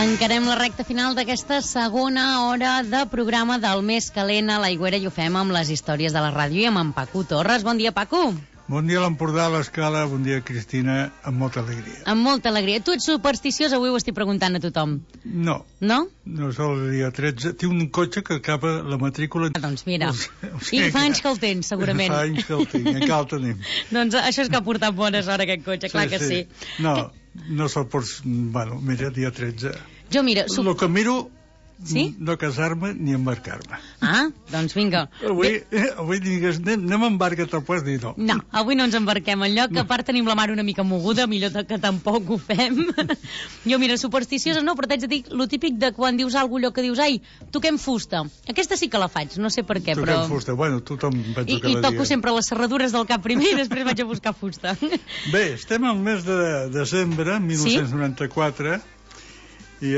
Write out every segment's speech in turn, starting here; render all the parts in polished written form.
Encarem la recta final d'aquesta segona hora de programa del Més Calent a l'Aigüera i ho fem amb les històries de la ràdio i amb en Paco Torres. Bon dia, Paco. Bon dia a l'Empordà, a l'Escala, bon dia, Cristina, amb molta alegria. Amb molta alegria. Tu ets supersticiós, avui ho estic preguntant a tothom. No. No? No és el dia 13. Tinc un cotxe que acaba la matrícula... Doncs mira, i fa anys que el tens, segurament. Fa anys que el tinc, encara el tenim. Doncs això és que ha portat bones hores aquest cotxe, clar que sí. No se'l pots... Bueno, mira, dia 13. Jo, mira... El que miro... Sí? No casar-me ni embarcar-me. Ah, doncs vinga. Avui digues, anem a embarcar-te, pues dir no. No, avui no ens embarquem enlloc, que a part tenim la mar una mica moguda, millor que tampoc ho fem. Jo, mira, supersticiosa no, però t'haig de dir lo típic de quan dius alguna allò que dius, ai, toquem fusta. Aquesta sí que la faig, no sé per què, però... Toquem fusta, bueno, tothom penso que la I toco sempre les serradures del cap primer i després vaig a buscar fusta. Bé, estem al mes de desembre, 1994, sí? I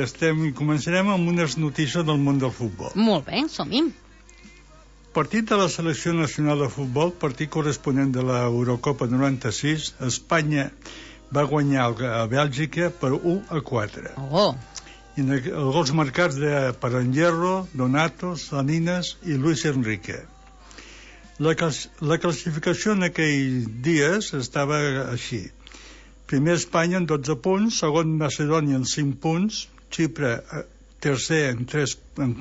començarem amb unes notícies del món del futbol. Molt bé, som-hi. Partit de la selecció nacional de futbol, partit corresponent de l'Eurocopa 96, Espanya va guanyar a Bèlgica per 1-4. Oh! I els gols marcats per Hierro, Donato, Salinas i Luis Enrique. La classificació en aquells dies estava així. Primer Espanya amb 12 punts, segon Macedònia amb 5 punts, Xipre tercer amb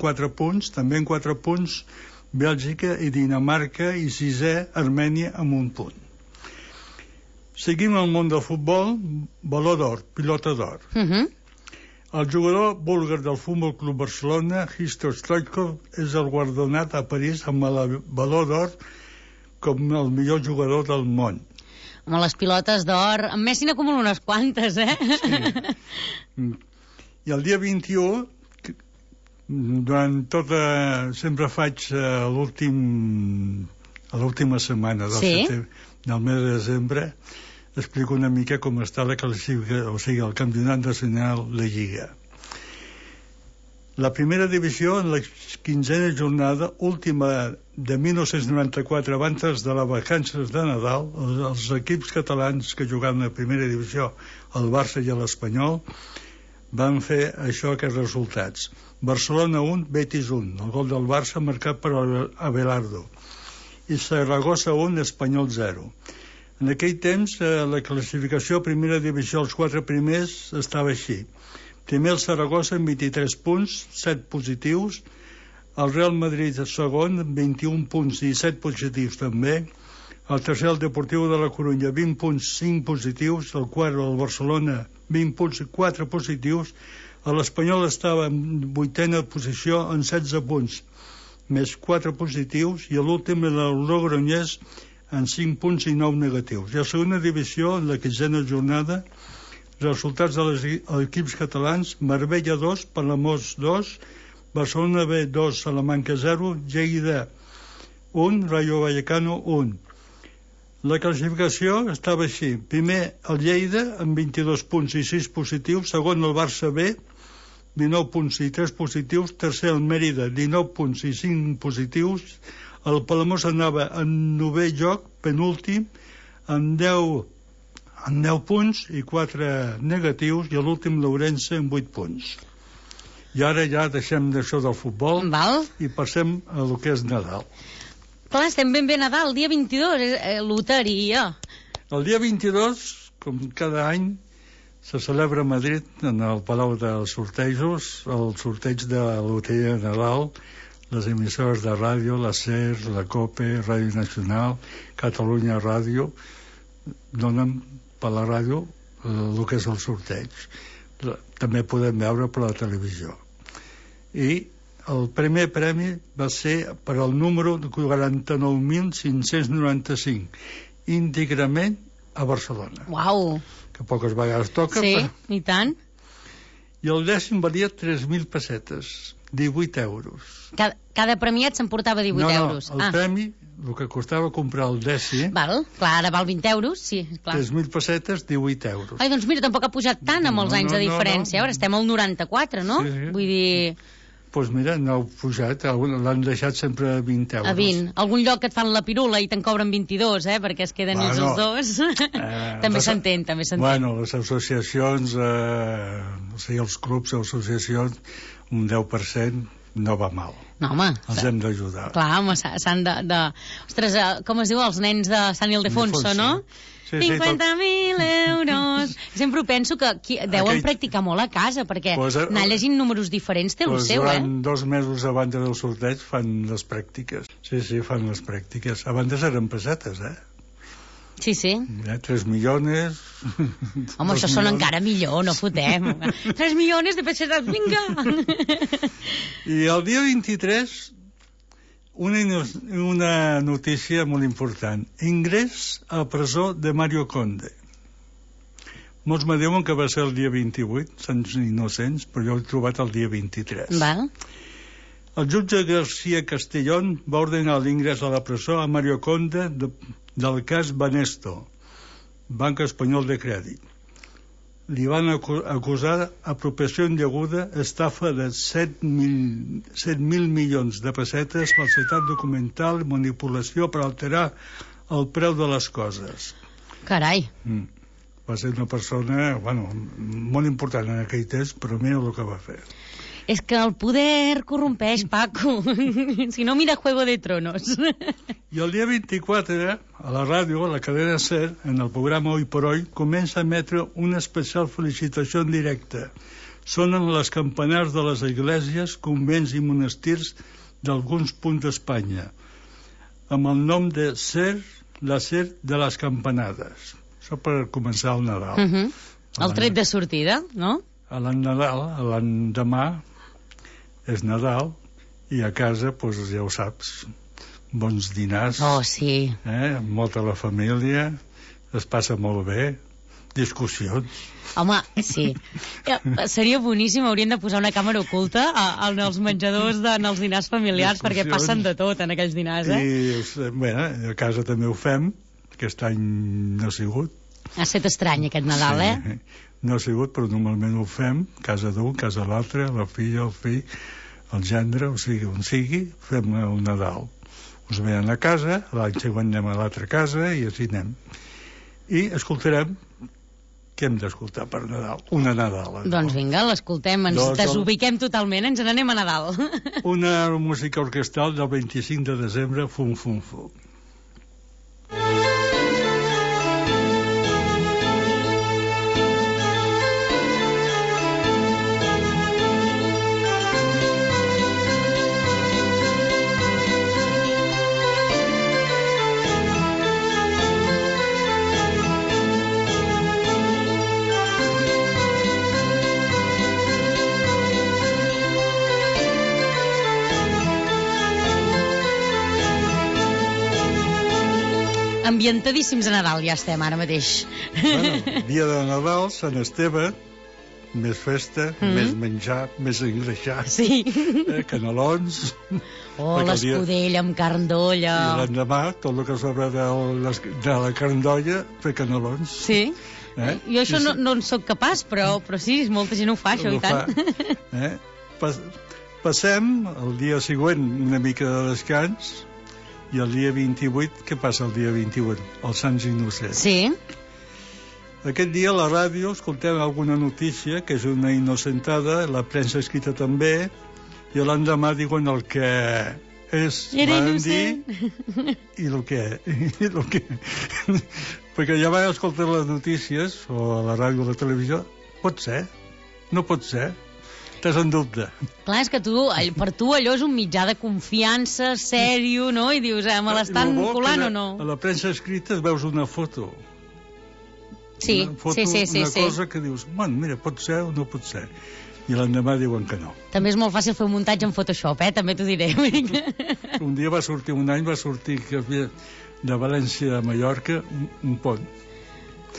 4 punts, també amb 4 punts, Bèlgica i Dinamarca i sisè Armènia amb 1 punt. Seguim el món del futbol, baló d'or, pilota d'or. El jugador búlgar del Futbol Club Barcelona, Hristo Stoichkov, és el guardonat a París amb el baló d'or com el millor jugador del món. Amb les pilotes d'or, en Messi n'acumula unes quantes, eh? Sí. I el dia 21, durant sempre faig l'última setmana del mes de desembre, explico una mica com està la classificació, o sigui, el campionat nacional, la Lliga. La primera divisió, en la 15a jornada, última de 1994, abans de les vacances de Nadal, els equips catalans que jugaven a primera divisió, el Barça i l'Espanyol, van fer aquests resultats. Barcelona 1, Betis 1, el gol del Barça marcat per Abelardo, i Saragossa 1, Espanyol 0. En aquell temps, la classificació a primera divisió, els 4 primers, estava així. Primer el Saragossa amb 23 punts, 7 positius, el Real Madrid segon amb 21 punts i 7 positius també, el tercer el Deportiu de la Corunya 20 punts, 5 positius, el quart el Barcelona 20 punts i 4 positius, l'Espanyol estava en 8a posició amb 16 punts, més 4 positius, i l'últim el Logroñés amb 5 punts i 9 negatius. I a segona divisió, en la 15a jornada, resultats dels equips catalans: Marbella 2, Palamós 2, Barcelona B 2, Salamanca 0, Lleida 1, Rayo Vallecano 1. La classificació estava així: primer el Lleida amb 22 punts i 6 positius, segon el Barça B 19 punts i 3 positius, tercer el Mèrida 19 punts i 5 positius, el Palamós anava en 9è lloc, penúltim, amb 10 punts i 4 negatius, i l'últim l'Ourense amb 8 punts. I ara ja deixem d'això del futbol. Val. I passem a lo que és Nadal. Clar, estem ben bé Nadal, el dia 22, loteria. El dia 22, com cada any, se celebra a Madrid, en el Palau dels Sortejos, el sorteig de la loteria de Nadal. Les emissores de ràdio, la SER, la COPE, Ràdio Nacional, Catalunya Ràdio, donen per la ràdio el que és el sorteig. També podem veure per la televisió. I el primer premi va ser per al número 49.595, íntegrament a Barcelona. Uau! Que poques vegades toca. Sí, i tant. I el dècim valia 3.000 pessetes, 18 euros. Cada premiat s'emportava 18 euros. No, el premi, el que costava comprar el dècim... Val, clar, ara val 20 euros, sí, clar. 3.000 pessetes, 18 euros. Ai, doncs mira, tampoc ha pujat tant amb els anys de diferència. Ara estem al 94, no? Sí. Vull dir... Doncs mira, no heu pujat, l'han deixat sempre a 20 euros. A 20. Algun lloc que et fan la pirula i te'n cobren 22, perquè es queden ells els dos. També s'entén, també s'entén. Bueno, les associacions, o sigui, els clubs o associacions, un 10% no va mal. No, home. Els hem d'ajudar. Clar, home, s'han de... Ostres, com es diu, els nens de Sant Ildefonso, no? Sí, 50.000 euros. Sempre ho penso que deuen practicar molt a casa, perquè anar llegint números diferents té el seu, durant 2 mesos abans del sorteig fan les pràctiques. Sí, fan les pràctiques. Abans eren pessetes, Sí. 3 milions... Home, això sona encara millor, no fotem. 3 milions de pessetes, vinga! I el dia 23... Una notícia molt important. Ingrés a presó de Mario Conde. Molts me diuen que va ser el dia 28, Sants Innocents, però jo l'he trobat el dia 23. Val. El jutge García Castellón va ordenar l'ingrés a la presó a Mario Conde del cas Banesto, Banc Espanyol de Crèdit. Li van acusar apropiació indeguda, estafa de 7.000 milions de pessetes, falsitat documental, manipulació per alterar el preu de les coses. Carai. Va ser una persona, molt important en aquell temps, però mira el que va fer. És que el poder corrompeix, Paco. Si no, mira Juego de Tronos. I el dia 24, a la ràdio, a la cadena SER, en el programa Hoy por Hoy, comença a emetre una especial felicitació en directe. Sonen les campanars de les esglésies, convents i monestirs d'alguns punts d'Espanya, amb el nom de SER, la SER de les campanades. Això per començar el Nadal. El tret de sortida, no? A l'endemà és Nadal i a casa, doncs ja ho saps, bons dinars. Oh, sí. Molta la família, es passa molt bé, discussions. Home, sí. Seria boníssim, haurien de posar una càmera oculta en els menjadors, en els dinars familiars, perquè passen de tot en aquells dinars, I, bé, a casa també ho fem, aquest any no ha sigut. Ha estat estrany aquest Nadal, No ha sigut, però normalment ho fem, casa d'un, casa l'altre, la filla, el fill, el gendre, o sigui, on sigui, fem el Nadal. Us venen a casa, l'any següent anem a l'altra casa i així anem. I escoltarem què hem d'escoltar per Nadal. Una Nadala. Doncs vinga, l'escoltem, ens desubiquem totalment, ens n'anem a Nadal. Una música orquestral del 25 de desembre, Fum Fum Fum. Ambientadíssims a Nadal ja estem ara mateix. Dia de Nadal, Sant Esteve, més festa, més menjar, més engreixar. Sí. Canelons. L'escudella amb carn d'olla. I l'endemà, tot el que sobra de la carn d'olla, fer canelons. Sí. Jo això no en soc capaç, però sí, molta gent ho fa, això, i tant. Passem el dia següent una mica de descans. I el dia 28, què passa el dia 28? Els Sants Innocents. Sí. Aquest dia a la ràdio escoltem alguna notícia, que és una innocentada, la premsa escrita també, i l'endemà diuen el que és, van dir, i el que... Perquè ja van escoltar les notícies, o a la ràdio o a la televisió, pot ser, no pot ser. Estàs en dubte. Clar, és que per tu allò és un mitjà de confiança, sèrio, no? I dius, me l'estan colant o no? A la premsa escrita veus una foto. Sí, una cosa que dius, mira, pot ser o no pot ser. I l'endemà diuen que no. També és molt fàcil fer un muntatge en Photoshop, també t'ho diré. Un dia va sortir de València a Mallorca un pont.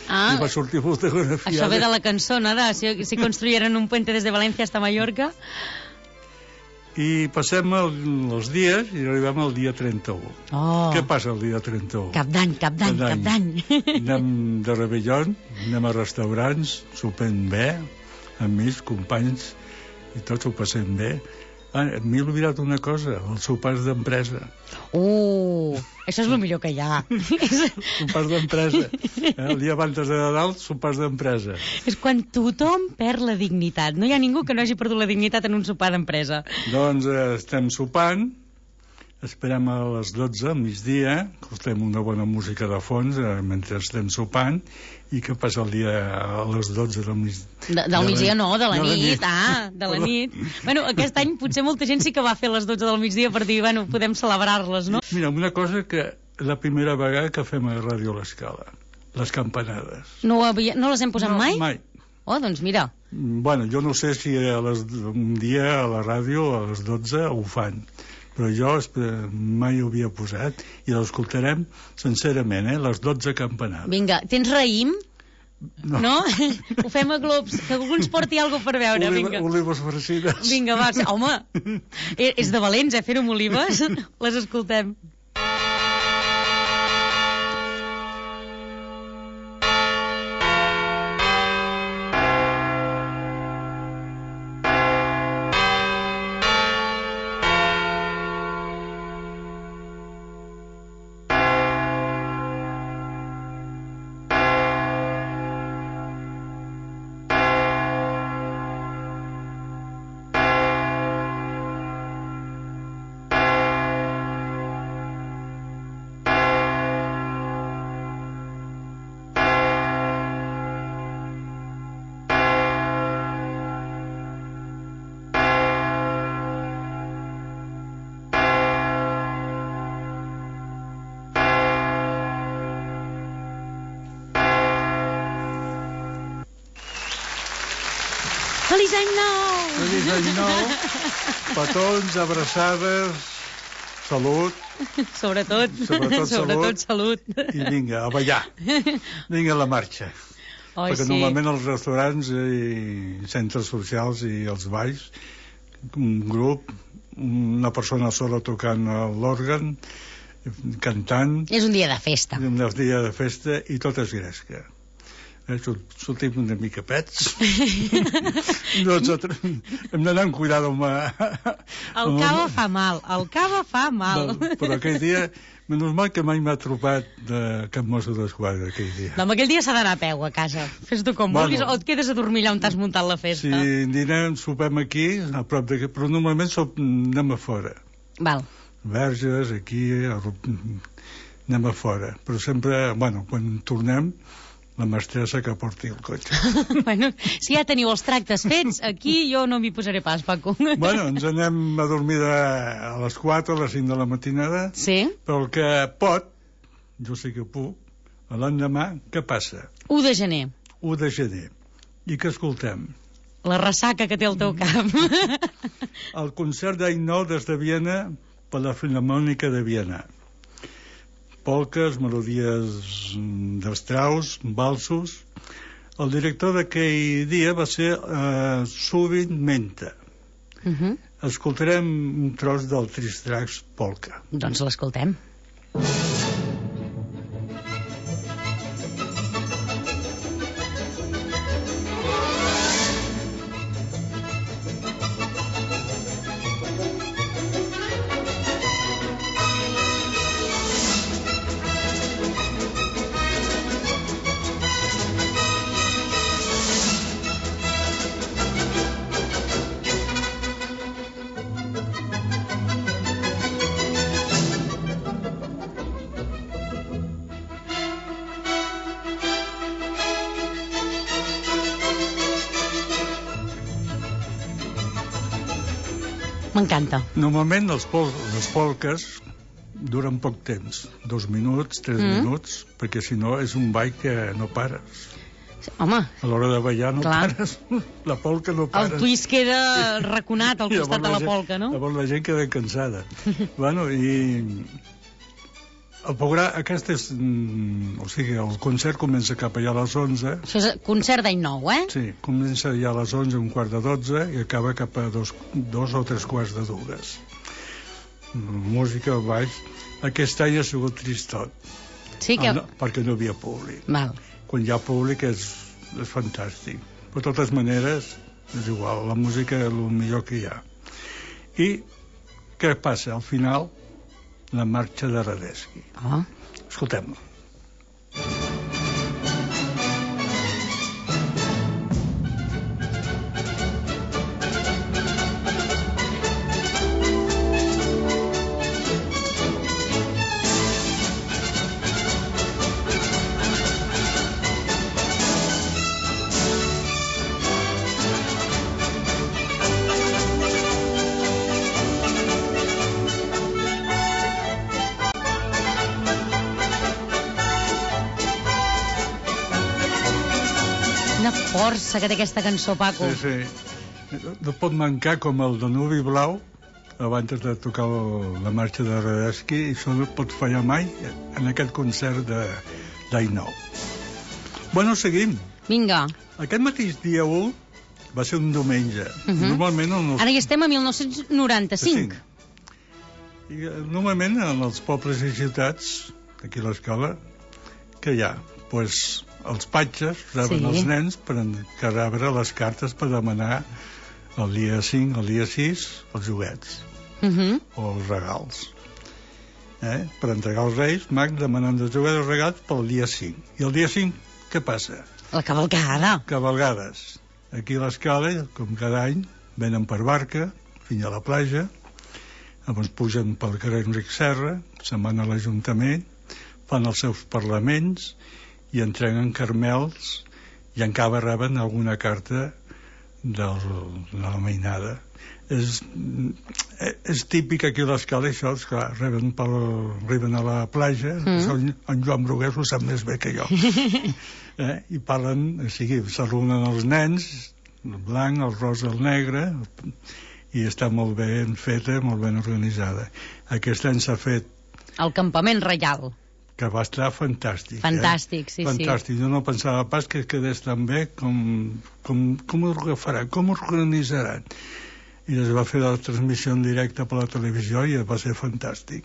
I va sortir fotografiada. Això ve de la cançó, no? Si construyeron un puente des de València hasta Mallorca. I passem els dies i arribem al dia 31. Què passa el dia 31? Cap d'any. Anem de rebellón, anem a restaurants, sopem bé, amics, companys, i tots ho passem bé. M'he oblidat una cosa, els sopars d'empresa. Això és el millor que hi ha. Sopars d'empresa. El dia abans de Nadal, sopars d'empresa. És quan tothom perd la dignitat. No hi ha ningú que no hagi perdut la dignitat en un sopar d'empresa. Doncs estem sopant, esperem a les 12, al migdia, escoltem una bona música de fons mentre estem sopant, i què passa el dia a les 12 del migdia? Del migdia no, de la nit. De la nit. Bueno, aquest any potser molta gent sí que va fer a les 12 del migdia per dir, bueno, podem celebrar-les, no? Mira, una cosa que la primera vegada que fem a Ràdio L'Escala, les campanades. No les hem posat mai? Mai. Oh, doncs mira. Bueno, jo no sé si un dia a la ràdio a les 12 ho fan, però jo mai ho havia posat i l'escoltarem sincerament, les 12 campanades. Vinga, tens raïm? No? Ho fem a globs, que algú ens porti alguna per veure, vinga. Olives farcides. Vinga, va, home, és de valents, fer-ho amb olives. Les escoltem. Feliç any nou! Feliç any nou! Petons, abraçades, salut. Sobretot salut. I vinga, a ballar. Vinga a la marxa. Perquè normalment els restaurants i centres socials i els balls, un grup, una persona sola tocant l'òrgan, cantant... És un dia de festa. Un dia de festa i tot és gresca. Sortim una mica pets. Hem d'anar amb cuidado amb... El cava fa mal. Però aquell dia, normal que mai m'ha trobat de cap mosso d'esquadra aquell dia. No, aquell dia s'ha d'anar a peu a casa. Fes-t'ho com vulguis o et quedes a dormir allà on t'has muntat la festa. Si dinem, sopem aquí, a prop d'aquí, però normalment anem a fora. Val. Verges, aquí, anem a fora. Però sempre, quan tornem, la mestressa que porti el cotxe. Bueno, si ja teniu els tractes fets, aquí jo no m'hi posaré pas, Paco. Ens anem a dormir a les 4 o a les 5 de la matinada. Sí. Però el que pot, jo sé que puc, l'endemà, què passa? 1 de gener. 1 de gener. I què escoltem? La ressaca que té el teu cap. El concert d'any nou des de Viena per la Filharmònica de Viena. Polques, melodies de Strauss, valsos. El director d'aquell dia va ser Zubin Mehta. Escoltarem un tros del Tristrax Polka. Doncs l'escoltem. M'encanta. Normalment les polques duren poc temps, 2 minuts, 3 minuts, perquè si no és un ball que no pares. Home. A l'hora de ballar no pares. La polca no pares. El twist queda raconat al costat de la polca, no? Llavors la gent queda cansada. I el programa, el concert comença cap allà a les 11. Això és concert d'any nou, Sí, comença ja a les 11, 11:15, i acaba cap a 2 o 3 quarts de 2. Música, baix. Aquest any ha sigut tristot. Sí que... Perquè no hi havia públic. Val. Quan hi ha públic és fantàstic. Però de totes maneres, és igual, la música és el millor que hi ha. I què passa? Al final, la marxa de Radetzky. Escoltem-la. Força que té aquesta cançó, Paco. Sí. No pot mancar com el Danubi Blau abans de tocar la marxa de Radetzky, i això no pot fallar mai en aquest concert d'Ainou. Bueno, seguim. Vinga. Aquest mateix dia 1 va ser un diumenge. Normalment... Ara hi estem a 1995. I normalment en els pobles i ciutats, aquí a l'escola, que hi ha? Doncs els patges reben els nens per rebre les cartes per demanar el dia 5, el dia 6, els joguets o els regals. Per entregar als Reis Mags demanant els joguets o regals pel dia 5. I el dia 5, què passa? La cavalcada. Cavalgades. Aquí a l'escala, com cada any, venen per barca fins a la platja, llavors pugen pel carrer Enric Serra, se'n van a l'Ajuntament, fan els seus parlaments i entreguen carmels i encara reben alguna carta de la mainada. És típic aquí a l'escala, això, esclar, arriben a la platja, en Joan Brugués ho sap més bé que jo. I parlen, o sigui, s'arrunen els nens, el blanc, el rosa, el negre, i està molt ben feta, molt ben organitzada. Aquest any s'ha fet... El campament reial. Que va estar fantàstic. Fantàstic, sí. Fantàstic. Jo no pensava pas que quedés tan bé com ho agafaran, com ho organitzaran. I es va fer la transmissió en directe per la televisió i va ser fantàstic.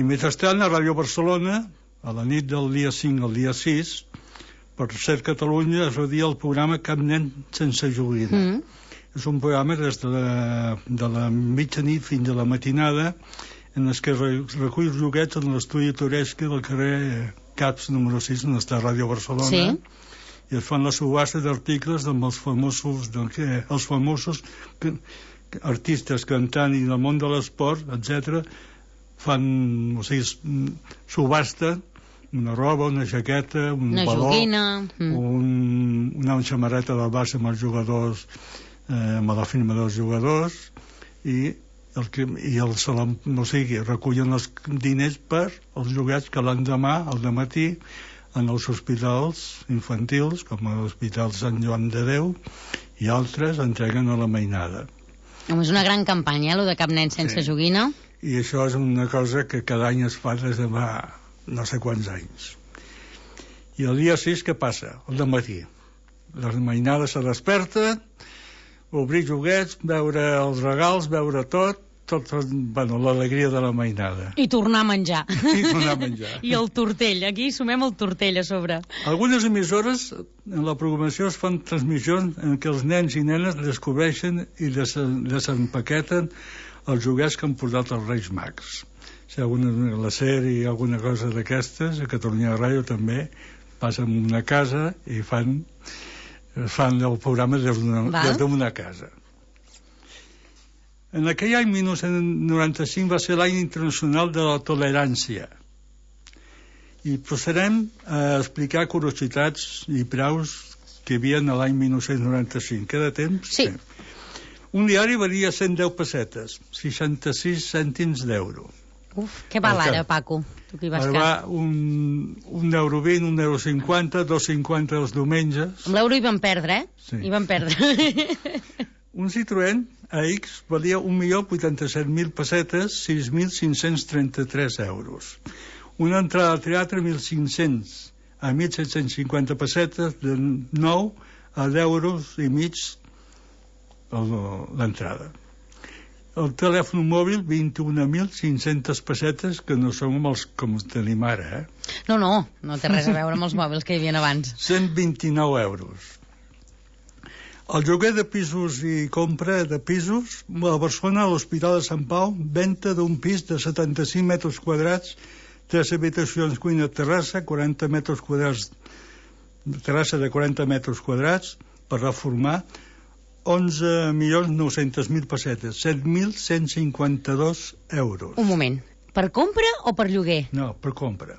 I mentrestant, a Ràdio Barcelona, a la nit del dia 5 al dia 6, per Ser Catalunya es redia el programa Cap nen sense joguina. És un programa des de la mitjanit fins a la matinada, en els que recull joguets en l'estudi Toresca del carrer Caps número 6, on està Ràdio Barcelona, i es fan la subhasta d'articles amb els famosos artistes cantant i del món de l'esport, etc. Fan, o sigui, subhasta una roba, una jaqueta, un baló, una samarreta del Barça amb els jugadors, amb la firma dels jugadors, i recullen els diners per els joguets que l'endemà, al dematí, en els hospitals infantils, com l'Hospital Sant Joan de Déu, i altres entreguen a la mainada. És una gran campanya, allò de Cap nen sense joguina. I això és una cosa que cada any es fa des de no sé quants anys. I el dia 6 què passa? El dematí. La mainada se desperta, obrir joguets, veure els regals, veure tot, l'alegria de la mainada. I tornar a menjar. I el tortell, aquí sumem el tortell a sobre. Algunes emissores, en la programació, es fan transmissions en què els nens i nenes descobreixen i desempaqueten els joguets que han portat els Reis Mags. Si la sèrie i alguna cosa d'aquestes, a Catalunya Ràdio també, passen una casa i fan el programa des d'una casa. En aquell any 1995 va ser l'any internacional de la tolerància, i procedem a explicar curiositats i praus que hi havia l'any 1995. Queda temps? Sí. Un diari valia 110 pessetes, 66 cèntims d'euro. Uf, què val ara, Paco? Tu que hi vas va un euro 20, un euro 50, 2,50 els diumenges. Amb l'euro hi van perdre, Sí. Hi van perdre. Un Citroën AX valia 1.087.000 pessetes, 6.533 euros. Una entrada al teatre, 1.500 a 1.750 pessetes, de 9 a 10 euros i mig l'entrada. El telèfon mòbil, 21.500 pessetes, que no som els com tenim ara, No té res a veure amb els mòbils que hi havia abans. 129 euros. El lloguer de pisos i compra de pisos, a Barcelona, a l'Hospital de Sant Pau, venda d'un pis de 75 metres quadrats, 3 habitacions, cuina, terrassa, 40 metres quadrats, terrassa de 40 metres quadrats, per reformar, 11.900.000 pessetes, 7.152 euros. Un moment, per compra o per lloguer? No, per compra.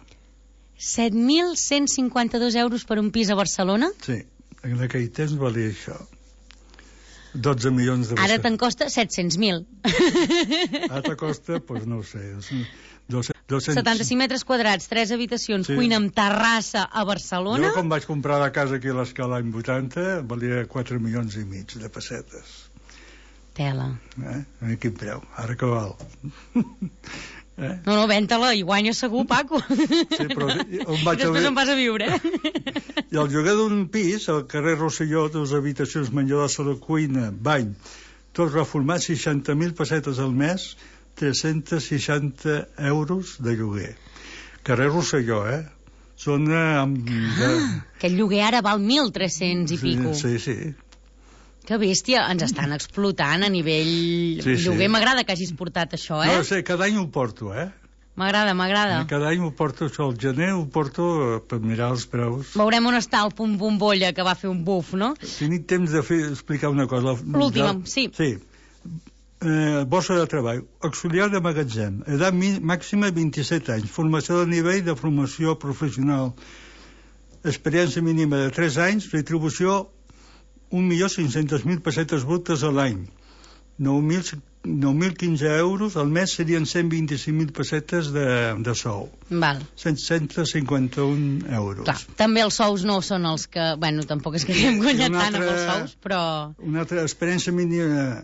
7.152 euros per un pis a Barcelona? Sí, en aquell temps valia això. 12 milions de pessetes. Ara te'n costa 700.000. Ara te costa, doncs no ho sé, 200... 75 metres quadrats, 3 habitacions, sí. Cuina amb terrassa a Barcelona. Jo, quan vaig comprar la casa aquí a l'Escala l'any 80, valia 4 milions i mig de pessetes. Tela. A quin preu? Ara que val. No, ven-te-la i guanya segur, Paco. Sí, però on vaig després on vas a viure. I el lloguer d'un pis, al carrer Rosselló, 2 habitacions, menjador, saló, cuina, bany, tot reformat, 60.000 pessetes al mes, 360 euros de lloguer. Carrer Rosselló, Zona amb... Aquest lloguer ara val 1.300 i pico. Sí, sí. Que bèstia, ens estan explotant a nivell lloguer. M'agrada que hagis portat això, No sé, cada any ho porto, M'agrada. Cada any ho porto, això, al gener ho porto per mirar els preus. Veurem on està el punt bombolla que va fer un buf, no? Tinc temps de explicar una cosa. L'última, sí. Sí. Borsa de treball, auxiliar de magatzem, edat màxima 27 anys, formació de nivell de formació professional, experiència mínima de 3 anys, retribució 1.500.000 pessetes brutes a l'any, 9.015 euros al mes serien 125.000 pessetes de sou. Val. 151 euros. Clar, també els sous no són els que... Bueno, tampoc és que haguem guanyat tant amb els sous, però... Una altra experiència mínima...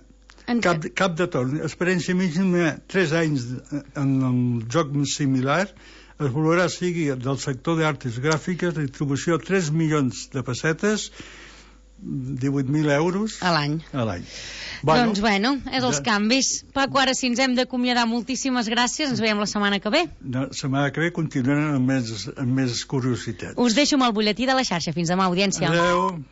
Cap de torn. Experiència mínima 3 anys en un joc similar. Es valorarà sigui del sector d'arts gràfiques, retribució 3 milions de pessetes, 18.000 euros a l'any. Doncs bueno, és els canvis. Paco, ara si ens hem d'acomiadar, moltíssimes gràcies, ens veiem la setmana que ve. La setmana que ve continuem amb més curiositats. Us deixo amb el butlletí de la xarxa. Fins demà, audiència. Adeu.